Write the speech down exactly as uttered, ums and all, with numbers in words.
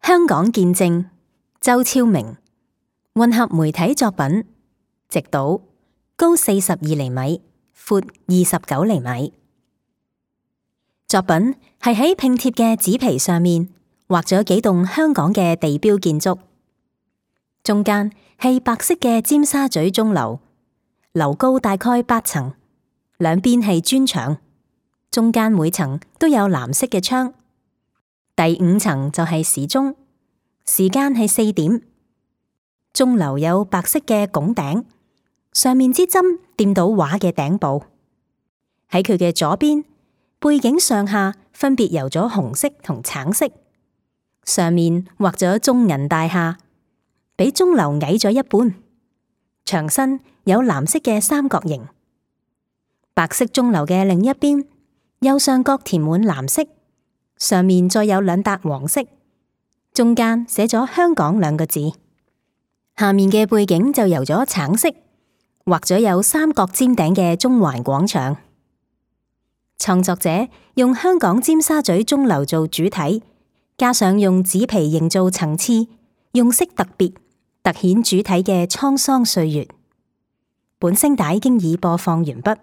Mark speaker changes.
Speaker 1: 香港見證，周超明，混合媒體作品，直島，高四十二厘米，闊二十九厘米。作品係喺拼貼嘅紙皮上面畫咗幾棟香港嘅地標建築，中間係白色嘅尖沙咀鐘樓，樓高大概八層，兩邊係磚牆，中間每層都有藍色嘅窗。第五層就係時鐘，時間係四點。鐘樓有白色嘅拱頂，上面支針掂到畫嘅頂部。喺佢嘅左邊，背景上下分別油咗紅色同橙色，上面畫咗中銀大廈，比鐘樓矮咗一半。牆身有藍色嘅三角形。白色鐘樓嘅另一邊，右上角填滿藍色，上面再有兩笪黃色，中間寫咗香港兩個字。下面嘅背景就油咗橙色，畫咗有三角尖頂嘅中環廣場。創作者用香港尖沙咀鐘樓做主體，加上用紙皮營造層次，用色特別，凸顯主體嘅滄桑歲月。本聲帶經已播放完畢。